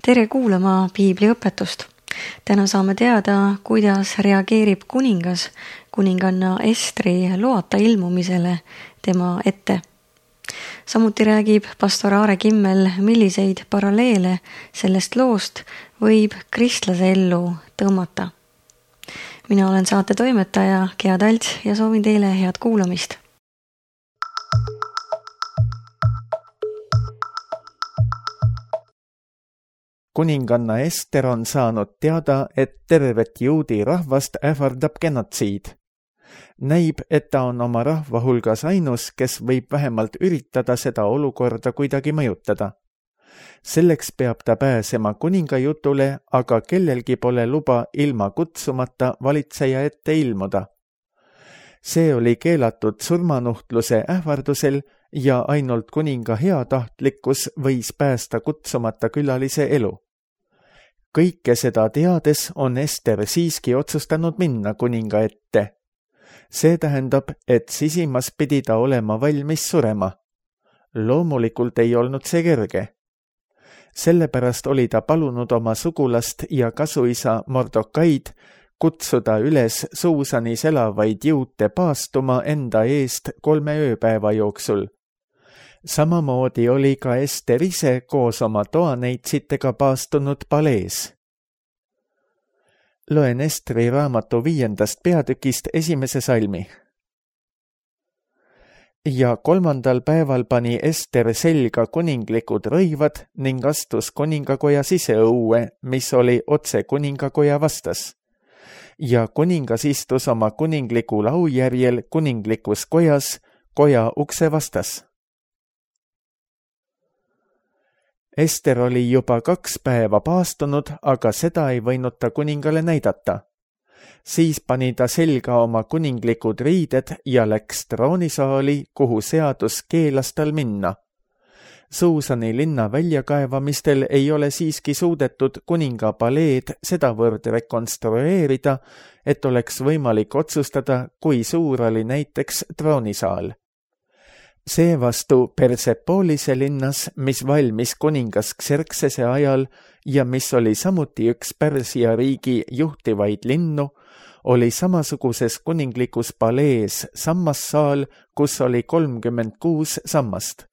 Tere kuulama piibliõpetust. Täna saame teada, kuidas reageerib kuningas kuninganna Estri loata ilmumisele tema ette. Samuti räägib pastor Aare Kimmel, milliseid paralleele sellest loost võib kristlase ellu tõmmata. Mina olen saate toimetaja Gea Talts ja soovin teile head kuulamist. Kuninganna Ester on saanud teada, et tervet juudi rahvast ähvardab genotsiid. Näib, et ta on oma rahva hulgas ainus, kes võib vähemalt üritada seda olukorda kuidagi mõjutada. Selleks peab ta pääsema kuninga jutule, aga kellelgi pole luba ilma kutsumata valitseja ette ilmuda. See oli keelatud surmanuhtluse ähvardusel ja ainult kuninga heatahtlikkus võis päästa kutsumata külalise elu. Kõike seda teades on Ester siiski otsustanud minna kuninga ette. See tähendab, et sisimas pidi ta olema valmis surema. Loomulikult ei olnud see kerge. Sellepärast oli ta palunud oma sugulast ja kasuisa Mordokaid kutsuda üles Suusanis elavaid juute paastuma enda eest 3 ööpäeva jooksul. Samamoodi oli ka Ester ise koos oma toaneitsitega paastunud palees. Loen Estri raamatu 5. peatükist 1. salmi. Ja 3. päeval pani Ester selga kuninglikud rõivad ning astus kuningakoja siseõue, mis oli otse kuningakoja vastas. Ja kuningas istus oma kuningliku laujärjel kuninglikus kojas, koja ukse vastas. Ester oli juba 2 päeva paastunud, aga seda ei võinud ta kuningale näidata. Siis pani ta selga oma kuninglikud riided ja läks troonisaali, kuhu seadus keelas tal minna. Suusani linna väljakaevamistel ei ole siiski suudetud kuninga paleed sedavõrd rekonstrueerida, et oleks võimalik otsustada, kui suur oli näiteks troonisaal. Seevastu Persepoolise linnas, mis valmis kuningas Xerxese ajal ja mis oli samuti üks Pärsia riigi juhtivaid linnu, oli samasuguses kuninglikus palees sammassaal, kus oli 36 sammast.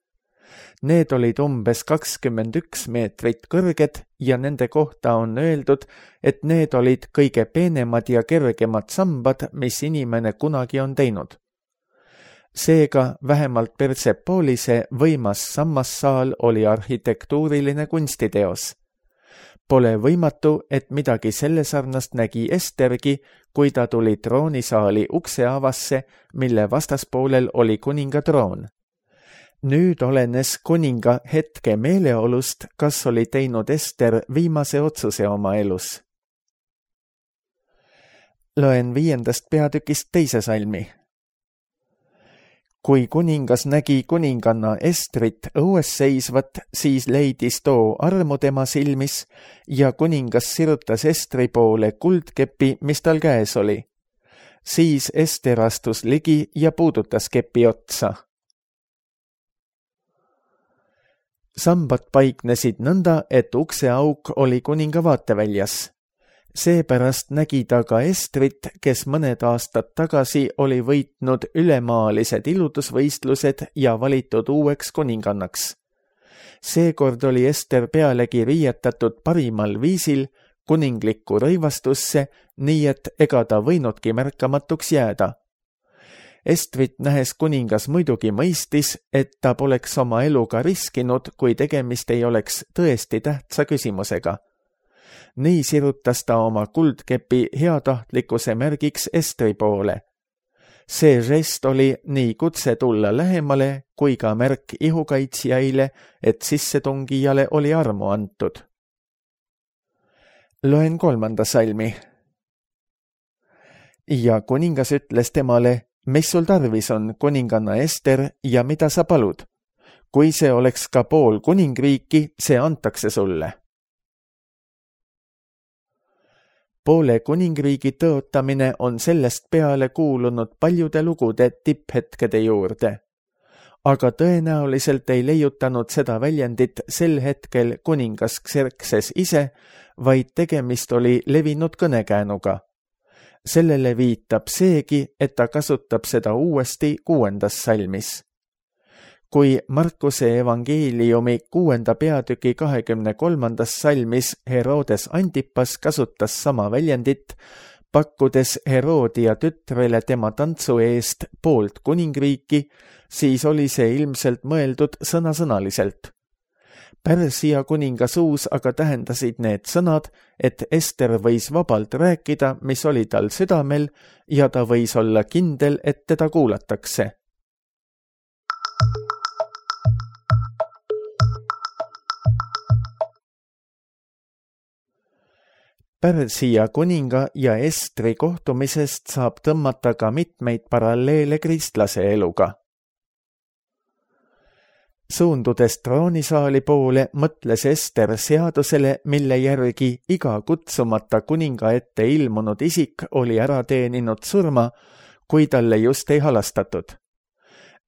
Need olid umbes 21 meetrit kõrged ja nende kohta on öeldud, et need olid kõige peenemad ja kergemad sambad, mis inimene kunagi on teinud. Seega vähemalt Persepoolise võimas sammassaal oli arhitektuuriline kunstiteos. Pole võimatu, et midagi selle sarnast nägi Estergi, kui ta tuli troonisaali ukse avasse, mille vastaspoolel oli kuninga troon. Nüüd olenes kuninga hetke meeleolust, kas oli teinud Ester viimase otsuse oma elus. Loen 5. peatükist 2. salmi. Kui kuningas nägi kuninganna Estrit õues seisvat, siis leidis too armu tema silmis ja kuningas sirutas Estri poole kuldkepi, mis tal käes oli. Siis Ester astus ligi ja puudutas kepi otsa. Sambad paiknesid nõnda, et ukseauk oli kuninga vaateväljas. Seepärast nägi ta ka Estrit, kes mõned aastad tagasi oli võitnud ülemaalised iludusvõistlused ja valitud uueks kuningannaks. Seekord oli Ester pealegi riietatud parimal viisil kuninglikku rõivastusse, nii et ega ta võinudki märkamatuks jääda. Estrit nähes kuningas muidugi mõistis, et ta poleks oma eluga riskinud, kui tegemist ei oleks tõesti tähtsa küsimusega. Nii sirutas ta oma kuldkepi heatahtlikkuse märgiks Estri poole. See žest oli nii kutse tulla lähemale kui ka märk ihukaitsjaile, et sissetungijale oli armu antud. Loen 3. salmi. Ja kuningas ütles temale, mis sul tarvis on, kuninganna Ester, ja mida sa palud? Kui see oleks ka pool kuningriiki, see antakse sulle. Poole kuningriigi tõotamine on sellest peale kuulunud paljude lugude tipphetkede juurde. aga tõenäoliselt ei leiutanud seda väljendit sel hetkel kuningas Xerxes ise, vaid tegemist oli levinud kõnekäänuga. Sellele viitab seegi, et ta kasutab seda uuesti 6. salmis. Kui Markuse evangeeliumi 6. peatüki 23. salmis Herodes Antipas kasutas sama väljendit, pakkudes Herodia tütrele tema tantsu eest poolt kuningriiki, siis oli see ilmselt mõeldud sõnasõnaliselt. Pärsia kuninga suus aga tähendasid need sõnad, et Ester võis vabalt rääkida, mis oli tal südamel, ja ta võis olla kindel, et teda kuulatakse. Pärsia kuninga ja Estri kohtumisest saab tõmmata ka mitmeid paralleele kristlase eluga. Suundudes troonisaali poole, mõtles Ester seadusele, mille järgi iga kutsumata kuninga ette ilmunud isik oli ära teeninud surma, kui talle just ei halastatud.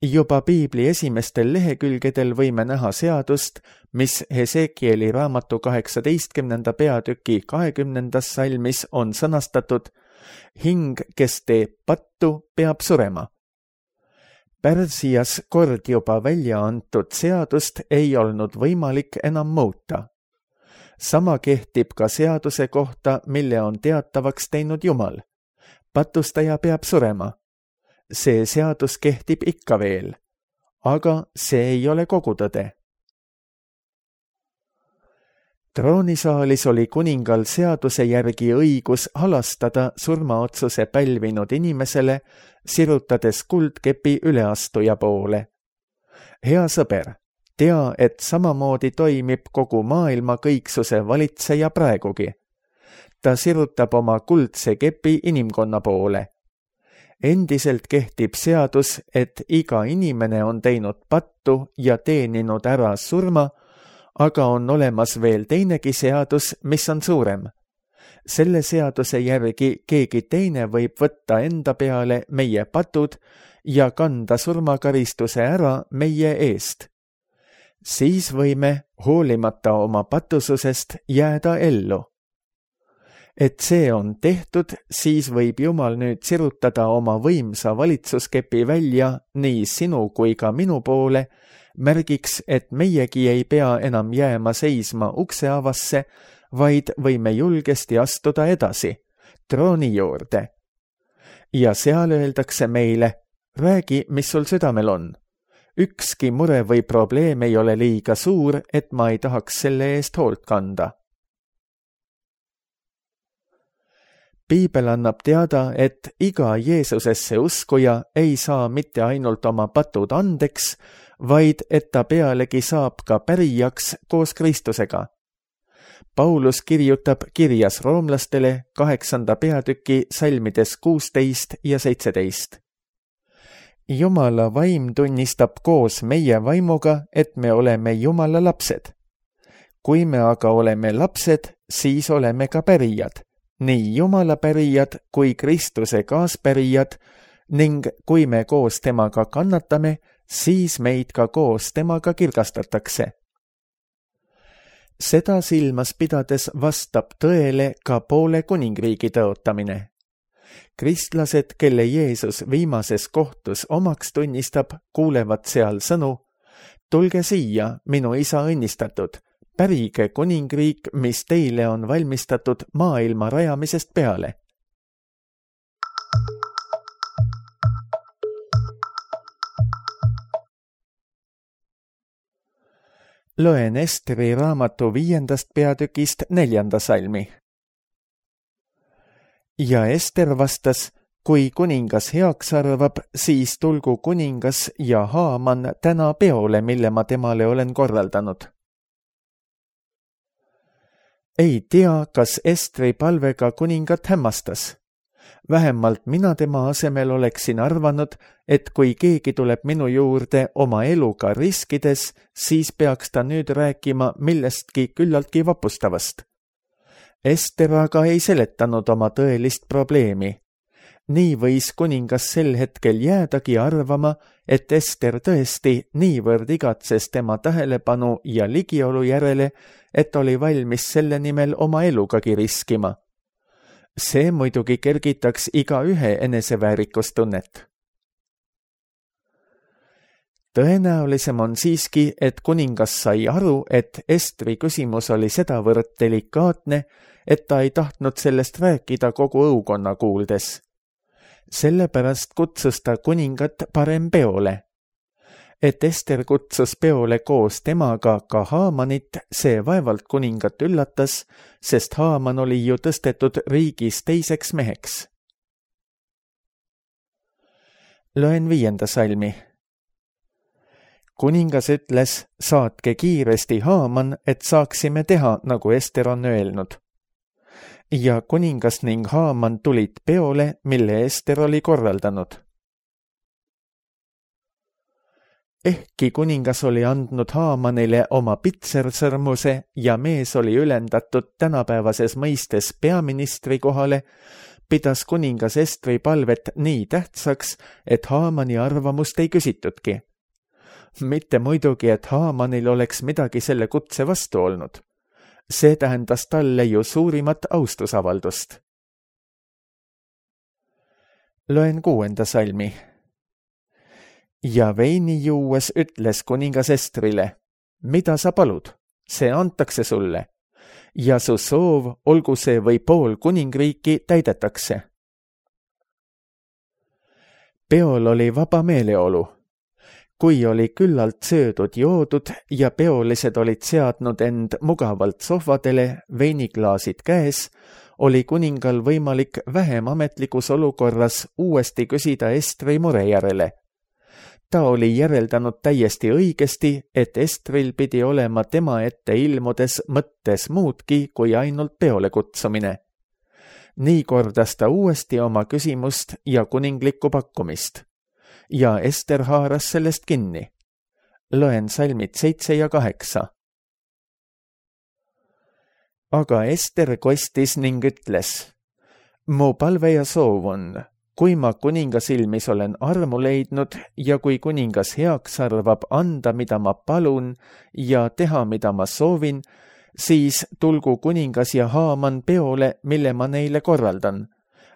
Juba Piibli esimestel lehekülgedel võime näha seadust, mis Hesekieli raamatu 18. peatüki 20. salmis on sõnastatud: hing, kes teeb pattu, peab surema. Pärsias kord juba välja antud seadust ei olnud võimalik enam muuta. Sama kehtib ka seaduse kohta, mille on teatavaks teinud Jumal. Patustaja peab surema. See seadus kehtib ikka veel, aga see ei ole kogu tõde. Troonisaalis oli kuningal seaduse järgi õigus halastada surmaotsuse pälvinud inimesele, sirutades kuldkepi üleastuja poole. Hea sõber, tea, et samamoodi toimib kogu maailma kõiksuse valitseja praegugi. Ta sirutab oma kuldse kepi inimkonna poole. Endiselt kehtib seadus, et iga inimene on teinud pattu ja teeninud ära surma, aga on olemas veel teinegi seadus, mis on suurem. Selle seaduse järgi keegi teine võib võtta enda peale meie patud ja kanda surmakaristuse ära meie eest. Siis võime, hoolimata oma patususest, jääda ellu. Et see on tehtud, siis võib Jumal nüüd sirutada oma võimsa valitsuskepi välja nii sinu kui ka minu poole, märgiks, et meiegi ei pea enam jääma seisma ukseavasse, vaid võime julgesti astuda edasi, trooni juurde. Ja seal öeldakse meile: räägi, mis sul südamel on. Ükski mure või probleem ei ole liiga suur, et ma ei tahaks selle eest hoolt kanda. Piibel annab teada, et iga Jeesusesse uskuja ei saa mitte ainult oma patud andeks, vaid et ta pealegi saab ka pärijaks koos Kristusega. Paulus kirjutab kirjas roomlastele 8. peatüki salmides 16 ja 17. Jumala vaim tunnistab koos meie vaimuga, et me oleme Jumala lapsed. Kui me aga oleme lapsed, siis oleme ka pärijad. Nii Jumala pärijad kui Kristuse kaaspärijad, ning kui me koos temaga kannatame, siis meid ka koos temaga kirgastatakse. Seda silmas pidades vastab tõele ka poole kuningriigi tõotamine. Kristlased, kelle Jeesus viimases kohtus omaks tunnistab, kuulevad seal sõnu: tulge siia, minu isa õnnistatud, pärige kuningriik, mis teile on valmistatud maailma rajamisest peale. Loen Estri raamatu 5. peatükist 4. salmi. Ja Ester vastas: kui kuningas heaks arvab, siis tulgu kuningas ja Haaman täna peole, mille ma temale olen korraldanud. Ei tea, kas Estri palvega kuningat hämmastas. Vähemalt mina tema asemel oleksin arvanud, et kui keegi tuleb minu juurde oma eluga riskides, siis peaks ta nüüd rääkima millestki küllaltki vapustavast. Ester aga ei seletanud oma tõelist probleemi. Nii võis kuningas sel hetkel jäädagi arvama, et Ester tõesti niivõrd igatses tema tähelepanu ja ligiolu järele, et oli valmis selle nimel oma elugagi riskima. See muidugi kergitaks igaühe eneseväärikustunnet. Tõenäolisem on siiski, et kuningas sai aru, et Estri küsimus oli sedavõrd delikaatne, et ta ei tahtnud sellest rääkida kogu õukonna kuuldes. Sellepärast kutsus ta kuningat parem peole. Et Ester kutsus peole koos temaga ka Haamanit, see vaevalt kuningat üllatas, sest Haaman oli ju tõstetud riigis teiseks meheks. Loen 5. salmi. Kuningas ütles, saatke kiiresti Haaman, et saaksime teha, nagu Ester on öelnud. Ja kuningas ning Haaman tulid peole, mille Ester oli korraldanud. Ehkki kuningas oli andnud Haamanile oma pitsersõrmuse ja mees oli ülendatud tänapäevases mõistes peaministri kohale, pidas kuningas Estri palvet nii tähtsaks, et Haamani arvamust ei küsitudki. Mitte muidugi, et Haamanil oleks midagi selle kutse vastu olnud. See tähendas talle ju suurimat austusavaldust. Loen 6. salmi. Ja veini juues ütles kuningas Estrile, mida sa palud, see antakse sulle, ja su soov, olgu see või pool kuningriiki, täidetakse. Peol oli vaba meeleolu. Kui oli küllalt söödud joodud ja peolised olid seadnud end mugavalt sohvadele, veiniklaasid käes, oli kuningal võimalik vähem ametlikus olukorras uuesti küsida Estri mure järele. Ta oli järeldanud täiesti õigesti, et Estril pidi olema tema ette ilmudes mõttes muudki kui ainult peole kutsumine. Nii kordas ta uuesti oma küsimust ja kuninglikku pakkumist. Ja Ester haaras sellest kinni. Loen salmid 7 ja 8. Aga Ester kostis ning ütles, mu palve ja soov on, kui ma kuninga silmis olen armu leidnud ja kui kuningas heaks arvab anda, mida ma palun ja teha, mida ma soovin, siis tulgu kuningas ja Haaman peole, mille ma neile korraldan.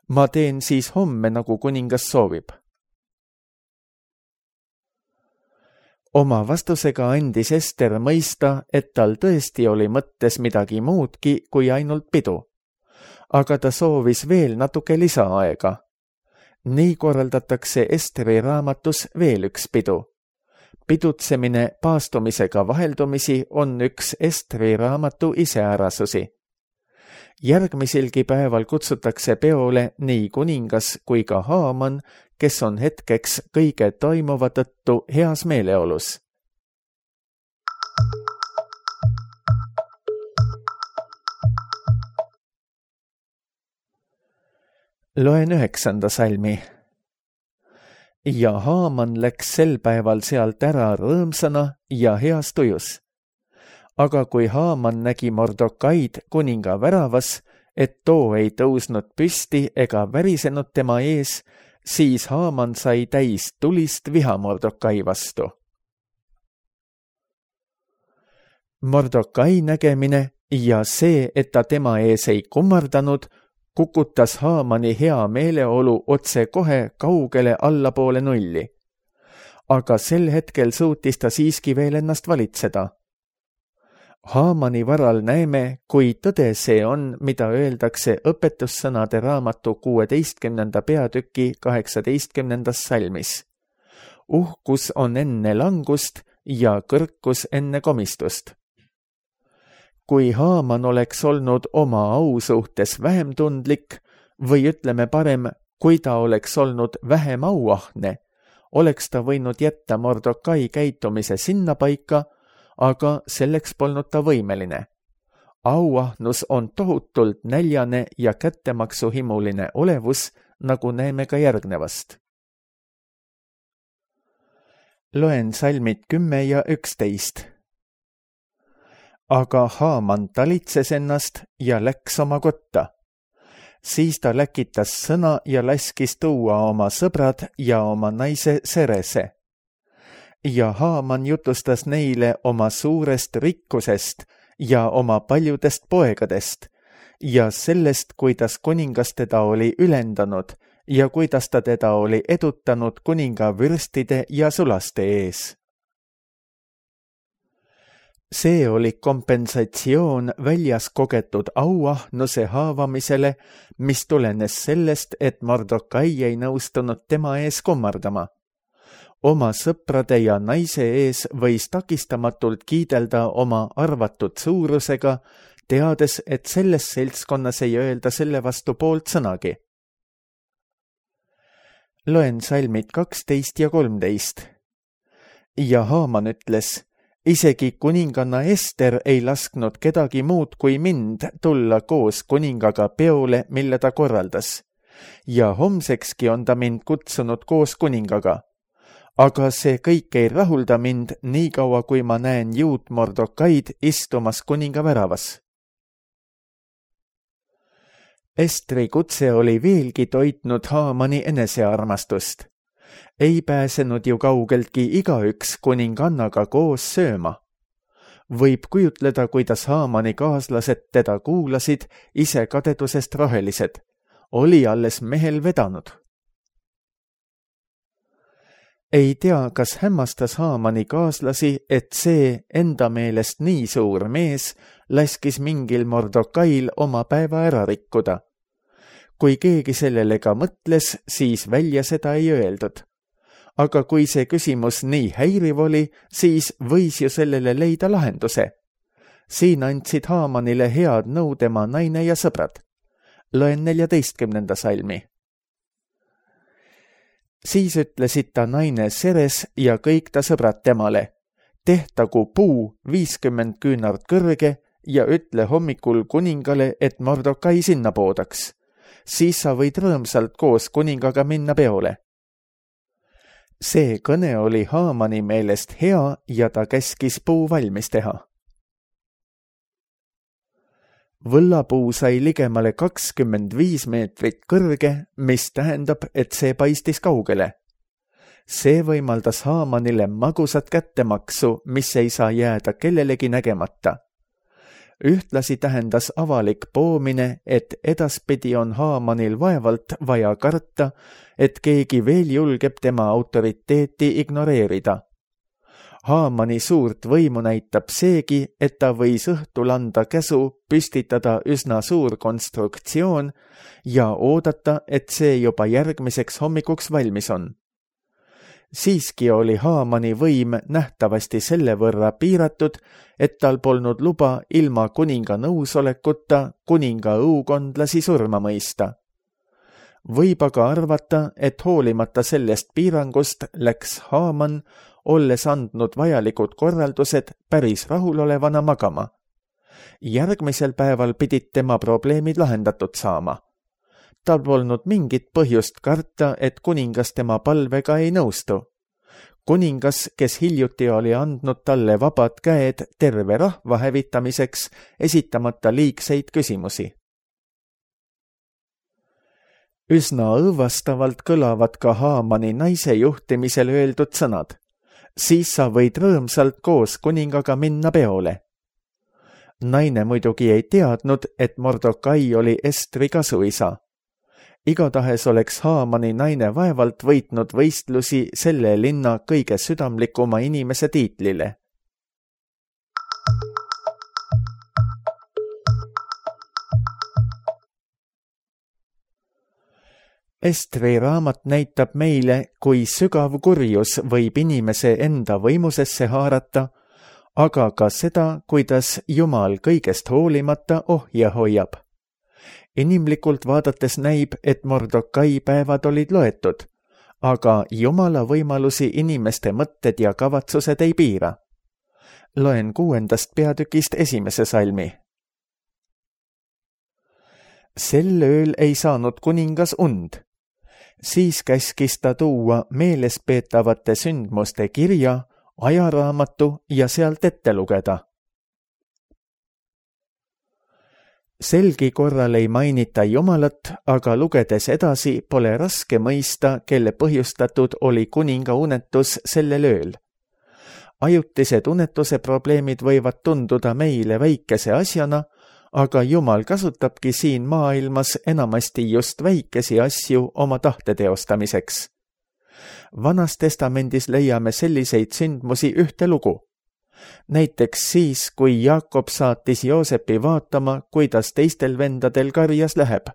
Ma teen siis homme, nagu kuningas soovib. Oma vastusega andis Ester mõista, et tal tõesti oli mõttes midagi muudki kui ainult pidu. Aga ta soovis veel natuke lisaaega. Nii korraldatakse Esteri raamatus veel üks pidu. Pidutsemine paastumisega vaheldumisi on üks Esteri raamatu iseärasusi. Järgmiselgi päeval kutsutakse peole nii kuningas kui ka Haaman, kes on hetkeks kõige toimuva tõttu heas meeleolus. Loen 9. salmi. Ja Haaman läks sel päeval sealt ära rõõmsana ja heas tujus. Aga kui Haaman nägi Mordokaid kuninga väravas, et too ei tõusnud püsti ega värisenud tema ees, siis Haaman sai täis tulist viha Mordokai vastu. Mordokai nägemine ja see, et ta tema ees ei kummardanud, kukutas Haamani hea meeleolu otse kohe kaugele allapoole nulli. Aga sel hetkel suutis ta siiski veel ennast valitseda. Haamani varal näeme, kui tõde see on, mida öeldakse õpetussõnade raamatu 16. peatüki 18. salmis. Uhkus on enne langust ja kõrkus enne komistust. Kui Haaman oleks olnud oma au suhtes vähem tundlik või ütleme parem, kui ta oleks olnud vähem auahne, oleks ta võinud jätta Mordokai käitumise sinnapaika, aga selleks polnud ta võimeline. Auahnus on tohutult näljane ja kättemaksuhimuline olevus, nagu näeme ka järgnevast. Loen salmid 10 ja 11. Aga Haaman talitses ennast ja läks oma kotta. Siis ta läkitas sõna ja laskis tuua oma sõbrad ja oma naise Serese. Ja Haaman jutustas neile oma suurest rikkusest ja oma paljudest poegadest ja sellest, kuidas kuningas teda oli ülendanud ja kuidas ta teda oli edutanud kuninga vürstide ja sulaste ees. See oli kompensatsioon väljas kogetud auahnuse haavamisele, mis tulenes sellest, et Mordokai ei nõustunud tema ees kummardama. Oma sõprade ja naise ees võis takistamatult kiidelda oma arvatud suurusega, teades, et selles seltskonnas ei öelda selle vastu poolt sõnagi. Loen salmid 12 ja 13. Ja Haaman ütles, isegi kuninganna Ester ei lasknud kedagi muud kui mind tulla koos kuningaga peole, mille ta korraldas. Ja homsekski on ta mind kutsunud koos kuningaga. Aga see kõik ei rahulda mind nii kaua, kui ma näen juut Mordokaid istumas kuninga väravas. Estri kutse oli veelgi toitnud Haamani enesearmastust. Ei pääsenud ju kaugeltki igaüks kuningannaga koos sööma. Võib kujutleda, kuidas Haamani kaaslased teda kuulasid, ise kadedusest rohelised. Oli alles mehel vedanud. Ei tea, kas hämmastas Haamani kaaslasi, et see enda meelest nii suur mees laskis mingil Mordokail oma päeva ära rikkuda. Kui keegi sellele ka mõtles, siis välja seda ei öeldud. Aga kui see küsimus nii häiriv oli, siis võis ju sellele leida lahenduse. Siin andsid Haamanile head nõu tema naine ja sõbrad. Loen 14. salmi. Siis ütlesid ta naine Seres ja kõik ta sõbrad temale, tehtagu puu 50 küünart kõrge ja ütle hommikul kuningale, et Mordokai sinna poodaks. Siis sa võid rõõmsalt koos kuningaga minna peole. See kõne oli Haamani meelest hea ja ta käskis puu valmis teha. Võllapuu sai ligemale 25 meetrit kõrge, mis tähendab, et see paistis kaugele. See võimaldas Haamanile magusat kättemaksu, mis ei saa jääda kellelegi nägemata. Ühtlasi tähendas avalik poomine, et edaspidi on Haamanil vaevalt vaja karta, et keegi veel julgeb tema autoriteeti ignoreerida. Haamani suurt võimu näitab seegi, et ta võis õhtul anda käsu püstitada üsna suur konstruktsioon ja oodata, et see juba järgmiseks hommikuks valmis on. Siiski oli Haamani võim nähtavasti selle võrra piiratud, et tal polnud luba ilma kuninga nõusolekuta kuninga õukondlasi surma mõista. Võib aga arvata, et hoolimata sellest piirangust läks Haaman, olles andnud vajalikud korraldused, päris rahulolevana magama. Järgmisel päeval pidid tema probleemid lahendatud saama. Tal polnud mingit põhjust karta, et kuningas tema palvega ei nõustu. Kuningas, kes hiljuti oli andnud talle vabad käed terve rahva hävitamiseks, esitamata liigseid küsimusi. Üsna õõvastavalt kõlavad ka Haamani naise juhtimisel öeldud sõnad. Siis sa võid rõõmsalt koos kuningaga minna peole. Naine muidugi ei teadnud, et Mordokai oli Estri kasuisa. Igatahes oleks Haamani naine vaevalt võitnud võistlusi selle linna kõige südamlikuma inimese tiitlile. Estri raamat näitab meile, kui sügav kurjus võib inimese enda võimusesse haarata, aga ka seda, kuidas Jumal kõigest hoolimata ohje hoiab. Inimlikult vaadates näib, et Mordokai päevad olid loetud, aga Jumala võimalusi inimeste mõtted ja kavatsused ei piira. Loen 6. peatükist 1. salmi. Sel ööl ei saanud kuningas und. Siis käskis ta tuua meelespeetavate sündmuste kirja, ajaraamatu ja sealt ette lugeda. selgi korral ei mainita Jumalat, aga lugedes edasi pole raske mõista, kelle põhjustatud oli kuninga unetus sellel ööl. Ajutised unetuse probleemid võivad tunduda meile väikese asjana, aga Jumal kasutabki siin maailmas enamasti just väikesi asju oma tahte teostamiseks. Vanas testamendis leiame selliseid sündmusi ühte lugu. Näiteks siis, kui Jaakob saatis Joosepi vaatama, kuidas teistel vendadel karjas läheb.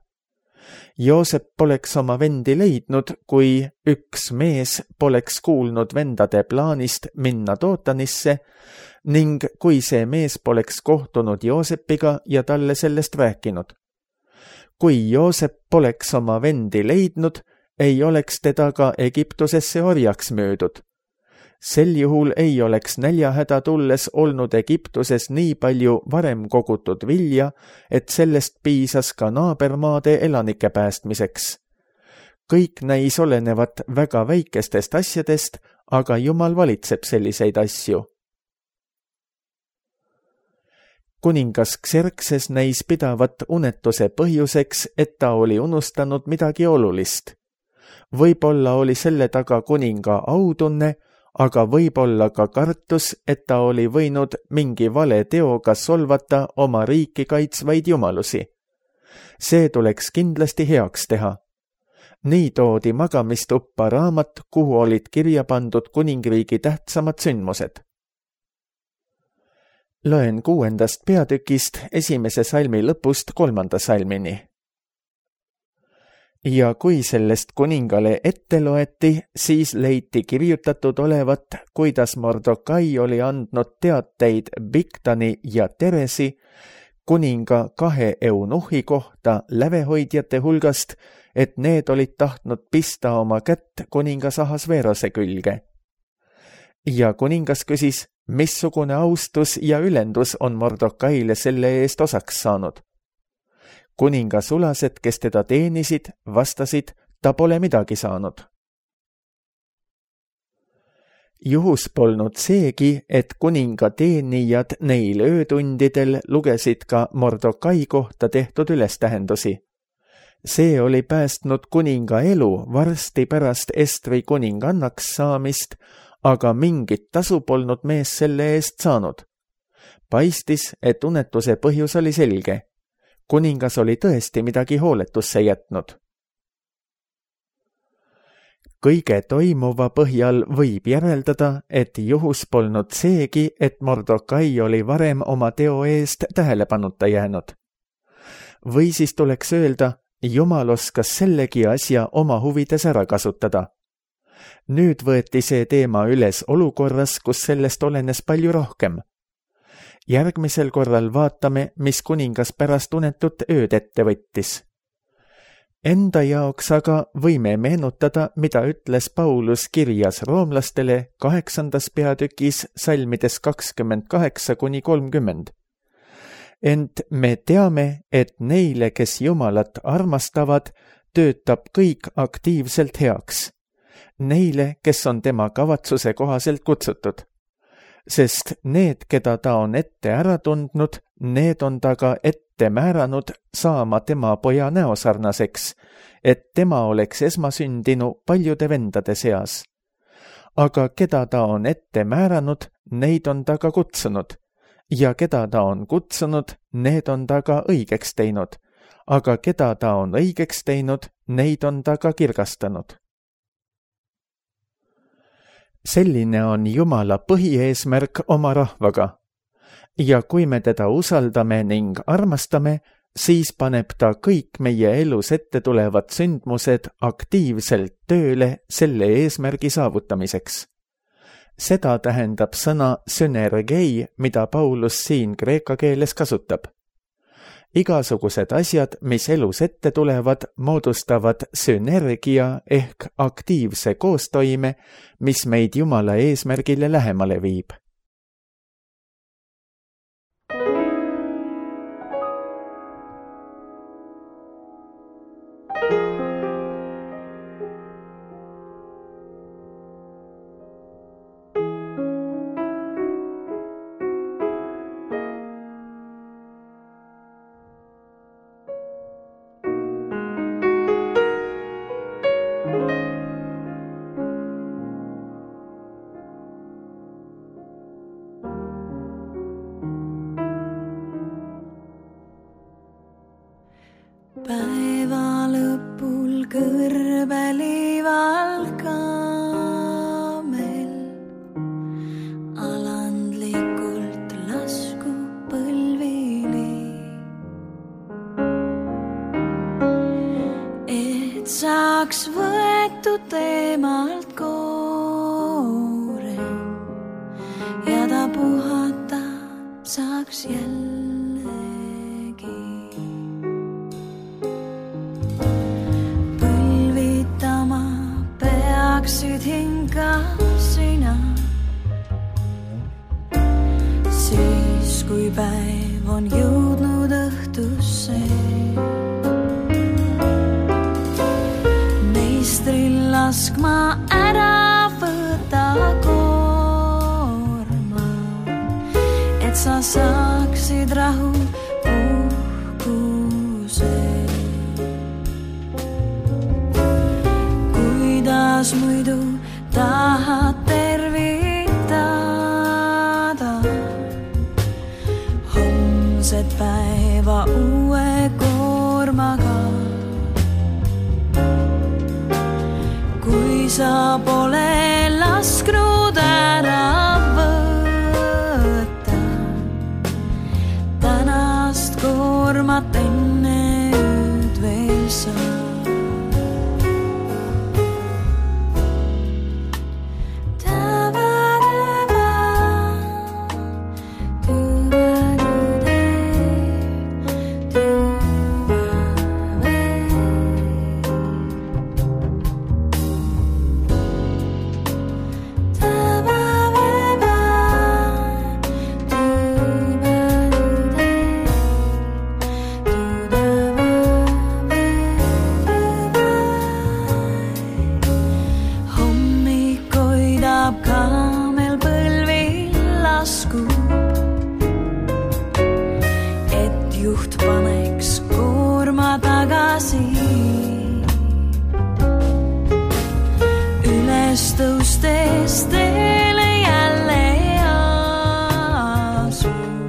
Joosep poleks oma vendi leidnud, kui üks mees poleks kuulnud vendade plaanist minna Dootanisse ning kui see mees poleks kohtunud Joosepiga ja talle sellest rääkinud. Kui Joosep poleks oma vendi leidnud, ei oleks teda ka Egiptusesse orjaks müüdud. Sel juhul ei oleks näljahäda tulles olnud Egiptuses nii palju varem kogutud vilja, et sellest piisas ka naabermaade elanike päästmiseks. Kõik näis olenevat väga väikestest asjadest, aga Jumal valitseb selliseid asju. Kuningas Xerxes näis pidavat unetuse põhjuseks, et ta oli unustanud midagi olulist. Võib-olla oli selle taga kuninga autunne, aga võib-olla ka kartus, et ta oli võinud mingi vale teoga solvata oma riiki kaitsvaid jumalusi. See tuleks kindlasti heaks teha. Nii toodi magamistuppa raamat, kuhu olid kirja pandud kuningriigi tähtsamad sündmused. Loen 6. peatükist 1. salmi lõpust 3. salmini. Ja kui sellest kuningale ette loeti, siis leiti kirjutatud olevat, kuidas Mordokai oli andnud teateid Biktani ja Teresi, kuninga 2 eunuhi kohta lävehoidjate hulgast, et need olid tahtnud pista oma kätt kuningas Ahasveerose külge. Ja kuningas küsis, missugune austus ja ülendus on Mordokaile selle eest osaks saanud. Kuninga sulased, kes teda teenisid, vastasid, ta pole midagi saanud. Juhus polnud seegi, et kuninga teenijad neil öötundidel lugesid ka Mordokai kohta tehtud ülestähendusi. See oli päästnud kuninga elu varsti pärast Estri kuningannaks saamist, aga mingit tasu polnud mees selle eest saanud. Paistis, et unetuse põhjus oli selge. Kuningas oli tõesti midagi hooletusse jätnud. Kõige toimuva põhjal võib järeldada, et juhus polnud seegi, et Mordokai oli varem oma teo eest tähelepanuta jäänud. Või siis tuleks öelda, Jumal oskas sellegi asja oma huvides ära kasutada. Nüüd võeti see teema üles olukorras, kus sellest olenes palju rohkem. Järgmisel korral vaatame, mis kuningas pärast unetut ööd ette võttis. Enda jaoks aga võime meenutada, mida ütles Paulus kirjas roomlastele 8. peatükis salmides 28–30. Ent me teame, et neile, kes Jumalat armastavad, töötab kõik aktiivselt heaks. Neile, kes on tema kavatsuse kohaselt kutsutud. Sest need, keda ta on ette ära tundnud, need on ta ka ette määranud saama tema poja näosarnaseks, et tema oleks esmasündinu paljude vendade seas. Aga keda ta on ette määranud, neid on ta ka kutsunud, ja keda ta on kutsunud, need on ta ka õigeks teinud, aga keda ta on õigeks teinud, neid on ta ka kirgastanud. Selline on Jumala põhieesmärk oma rahvaga. Ja kui me teda usaldame ning armastame, siis paneb ta kõik meie elus ette tulevad sündmused aktiivselt tööle selle eesmärgi saavutamiseks. Seda tähendab sõna synergei, mida Paulus siin kreeka keeles kasutab. Igasugused asjad, mis elus ette tulevad, moodustavad sünergia ehk aktiivse koostoime, mis meid Jumala eesmärgile lähemale viib. kõrbeliival kaamel alandlikult lasku põlvili, et saaks võetud teemalt koore ja ta puhata saaks jällegi. Põlvitama peaksid hinga sina, siis kui päev on jõudnud õhtusse. Meistril laskma ära võta koorma, et sa saaksid rahu uhkuse. Kuidas muidu tahad tervitada homset päeva uue koormaga, kui sa pole lasknud ära võtta tänast koormat enne ööd veel sa. Kaamel põlvil laskub, et juht paneks koorma tagasi. Üles tõustes teele jälle asub,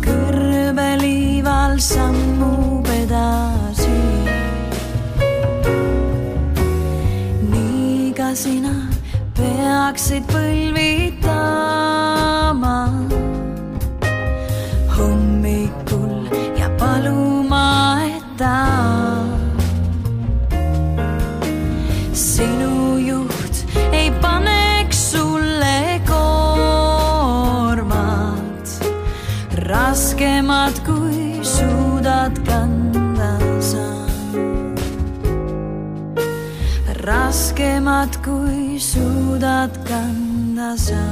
kõrbeliival sammub edasi. Nii ka sina peaksid põlvitama hommikul ja paluma, et ta sinu juht ei paneks sulle koormat raskemat, kui suudad kanda sa. Raskemat, kui suudad kanda sa.